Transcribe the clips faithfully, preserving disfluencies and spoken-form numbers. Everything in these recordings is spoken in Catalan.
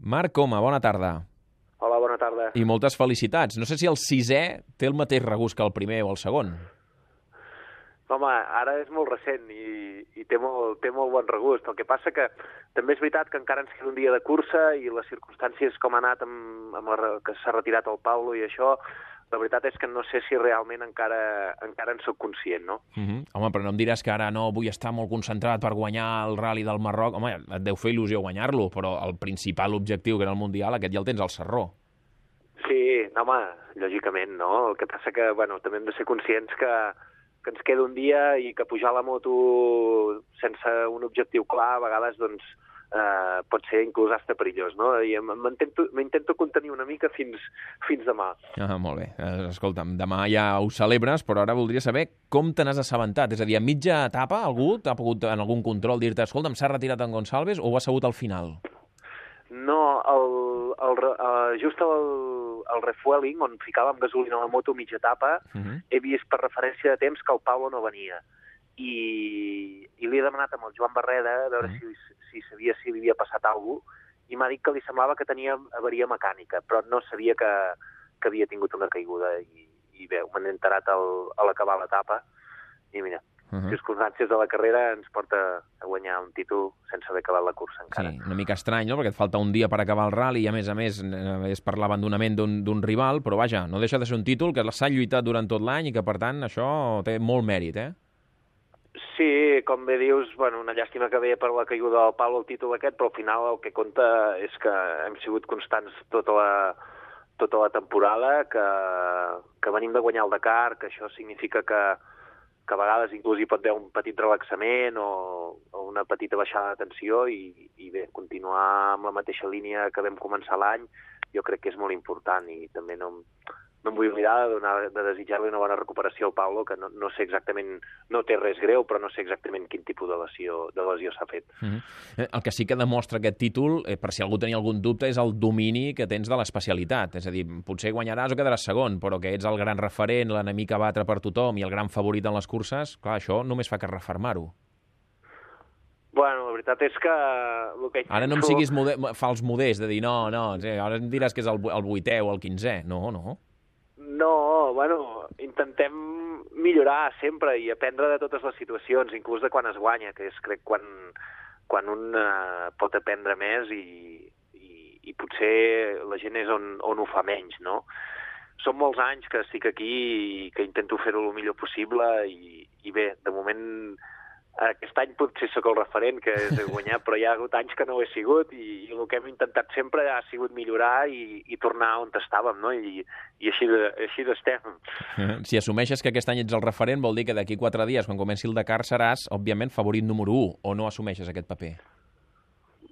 Marc Coma, bona tarda. Hola, bona tarda. I moltes felicitats. No sé si el sisè té el mateix regust que el primer o el segon. Home, ara és molt recent i, i té, molt, té molt bon regust. El que passa que també és veritat que encara ens queda un dia de cursa i les circumstàncies com ha anat amb, amb la, que s'ha retirat el Paulo i això, la veritat és que no sé si realment encara, encara en soc conscient, no? Uh -huh. Home, però no em diràs que ara no vull estar molt concentrat per guanyar el Rally del Marroc. Home, et deu fer il·lusió guanyar-lo, però el principal objectiu, que era el Mundial, aquest ja el tens al sarró. Sí, no, home, lògicament, no? El que passa que, bueno, també hem de ser conscients que, que ens queda un dia i que pujar a la moto sense un objectiu clar, a vegades, doncs, eh, pot ser inclús hasta perillós, no? I m'intento contenir una mica fins, fins demà. Ah, molt bé. Escolta'm, demà ja ho celebres, però ara voldria saber com te n'has assabentat. És a dir, a mitja etapa algú t'ha pogut en algun control dir-te escolta'm, s'ha retirat en Gonçalves o ho ha sabut al final? No, el, el, el, just el, el refueling, on ficàvem gasolina a la moto a mitja etapa, uh -huh. he vist per referència de temps que el Paulo no venia. I, i li he demanat amb el Joan Barreda a veure uh -huh. si, si sabia si li havia passat alguna cosa, i m'ha dit que li semblava que tenia avaria mecànica, però no sabia que, que havia tingut una caiguda. I, i bé, m'he enterat al, a l'acabar l'etapa, i mira, Uh -huh. circumstàncies de la carrera ens porta a guanyar un títol sense haver acabat la cursa encara. Sí, una mica estrany, no?, perquè et falta un dia per acabar el rally i, a més a més, és per l'abandonament d'un rival, però vaja, no deixa de ser un títol que s'ha lluitat durant tot l'any i que, per tant, això té molt mèrit, eh? Sí, com bé dius, bueno, una llàstima que ve per la caiguda del Paulo el títol aquest, però al final el que compta és que hem sigut constants tota la, tota la temporada, que, que venim de guanyar el Dakar, que això significa que que a vegades inclús hi pot haver un petit relaxament o, o una petita baixada de tensió i, i bé, continuar amb la mateixa línia que vam començar l'any jo crec que és molt important i també no, no em vull oblidar de, donar, de desitjar-li una bona recuperació al Paulo, que no, no sé exactament, no té res greu, però no sé exactament quin tipus de lesió, de lesió s'ha fet. Mm-hmm. El que sí que demostra aquest títol, eh, per si algú tenia algun dubte, és el domini que tens de l'especialitat. És a dir, potser guanyaràs o quedaràs segon, però que ets el gran referent, l'enemic a batre per tothom i el gran favorit en les curses, clar, això només fa que refermar-ho. Bueno, la veritat és que... El que ara no em siguis mode fals modest, de dir, no, no, ara em diràs que és el, el vuitè o el quinzè. No, no. No, bueno, intentem millorar sempre i aprendre de totes les situacions, inclús de quan es guanya, que és, crec, quan, quan un uh, pot aprendre més i, i, i potser la gent és on, on ho fa menys, no? Són molts anys que estic aquí i que intento fer-ho el millor possible i, i bé, de moment... Aquest any potser sóc el referent que és de guanyar, però hi ha hagut anys que no ho he sigut i, i el que hem intentat sempre ha sigut millorar i, i tornar on estàvem, no? I, i així, de, així estem. Si assumeixes que aquest any ets el referent, vol dir que d'aquí quatre dies, quan comenci el Dakar, seràs, òbviament, favorit número u, o no assumeixes aquest paper?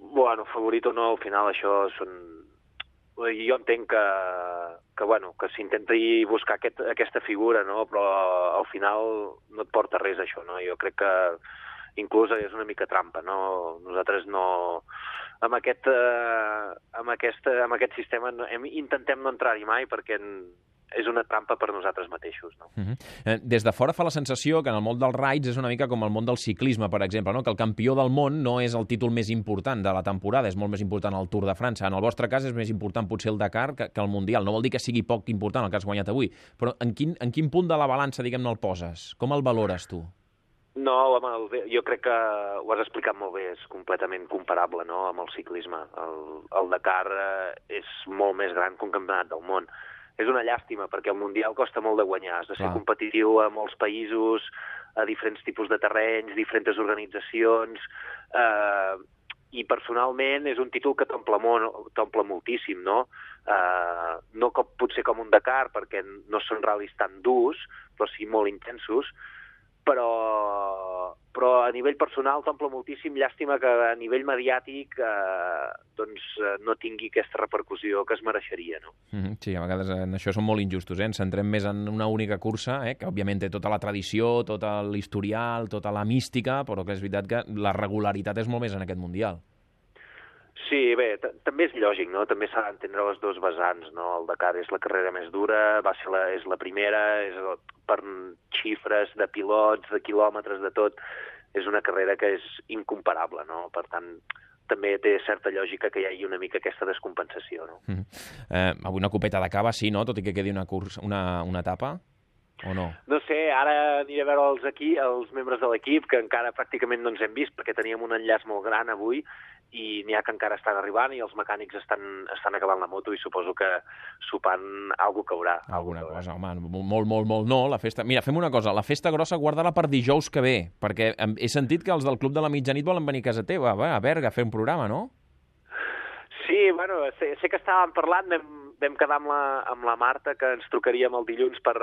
Bueno, favorit o no, al final això són... Jo entenc que, que, bueno, que s'intenti buscar aquest, aquesta figura, no? Però al final no et porta res, això, no? Jo crec que inclús és una mica trampa, no? Nosaltres no... Amb aquest, eh, amb aquest, amb aquest sistema no, hem, intentem no entrar-hi mai perquè en, és una trampa per nosaltres mateixos, no? Uh -huh. Des de fora fa la sensació que en el món dels raids és una mica com el món del ciclisme, per exemple, no? Que el campió del món no és el títol més important de la temporada, és molt més important el Tour de França. En el vostre cas és més important potser el Dakar que, que el Mundial. No vol dir que sigui poc important el que has guanyat avui, però en quin, en quin punt de la balança, diguem-ne, el poses? Com el valores tu? No, home, jo crec que ho has explicat molt bé, és completament comparable, no?, amb el ciclisme. El, el Dakar és molt més gran que un campionat del món. És una llàstima, perquè el Mundial costa molt de guanyar. Has de ser Clar. competitiu a molts països, a diferents tipus de terrenys, diferents organitzacions, eh, i personalment és un títol que t'omple moltíssim, no? Eh, no com, potser com un Dakar, perquè no són ral·lis tan durs, però sí molt intensos, però, però a nivell personal t'omple moltíssim. Llàstima que a nivell mediàtic eh, doncs, no tingui aquesta repercussió que es mereixeria, no? Mm-hmm, sí, a vegades en això són molt injustos, eh? Ens centrem més en una única cursa, eh? Que òbviament té tota la tradició, tot l'historial, tota la mística, però que és veritat que la regularitat és molt més en aquest Mundial. Sí, bé, també és lògic, no? També s'ha d'entendre les dues vessants, no? El Dakar és la carrera més dura, va ser la, és la primera, és el, per xifres de pilots, de quilòmetres, de tot, és una carrera que és incomparable, no? Per tant, també té certa lògica que hi hagi una mica aquesta descompensació. No? Mm. Eh, avui una copeta de cava, sí, no? Tot i que quedi una, curs, una, una etapa, o no? No sé, ara aniré a veure els, aquí, els membres de l'equip, que encara pràcticament no ens hem vist, perquè teníem un enllaç molt gran avui, i n'hi ha que encara estan arribant, i els mecànics estan, estan acabant la moto, i suposo que sopant alguna caurà. Alguna cosa, home, molt, molt, molt no, la festa... Mira, fem una cosa, la festa grossa guarda-la per dijous que ve, perquè he sentit que els del Club de la Mitjanit volen venir a casa teva, va, a Berga, a fer un programa, no? Sí, bueno, sé, sé que estàvem parlant, vam, vam quedar amb la, amb la Marta, que ens trucaríem el dilluns per,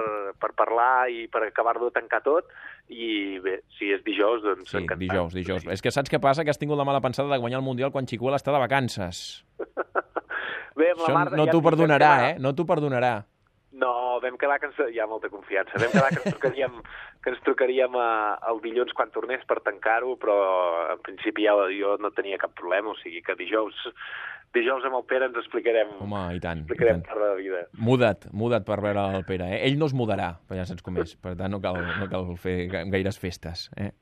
per parlar i per acabar-lo de tancar tot, i bé, si és dijous, doncs sí, encantat. dijous, dijous. Sí. És que saps què passa? Que has tingut la mala pensada de guanyar el Mundial quan Chicuela està de vacances. Bé, amb la Això Marta, no ja t'ho perdonarà, quedar... eh? No t'ho perdonarà. No, vam quedar que ens... Hi ha molta confiança. Vam quedar que ens trucaríem, que ens trucaríem a, el dilluns quan tornés per tancar-ho, però en principi ja jo no tenia cap problema, o sigui que dijous, dijous amb el Pere ens explicarem, Home, i tant, explicarem i tant. part de la vida. Muda't, muda't per veure el Pere, eh? Ell no es mudarà, però ja saps com és, per tant no cal, no cal fer gaires festes, eh?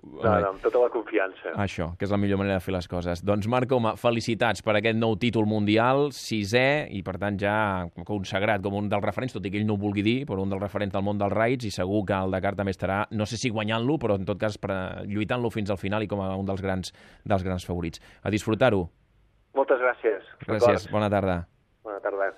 No, no, amb tota la confiança. Això, que és la millor manera de fer les coses. Doncs, Marc Coma, felicitats per aquest nou títol mundial, sisè, i per tant ja consagrat com un dels referents, tot i que ell no ho vulgui dir, però un dels referents del món dels raids, i segur que el Dakar també estarà, no sé si guanyant-lo, però en tot cas lluitant-lo fins al final i com a un dels grans, dels grans favorits. A disfrutar-ho. Moltes gràcies. Gràcies, bona tarda. Bona tarda.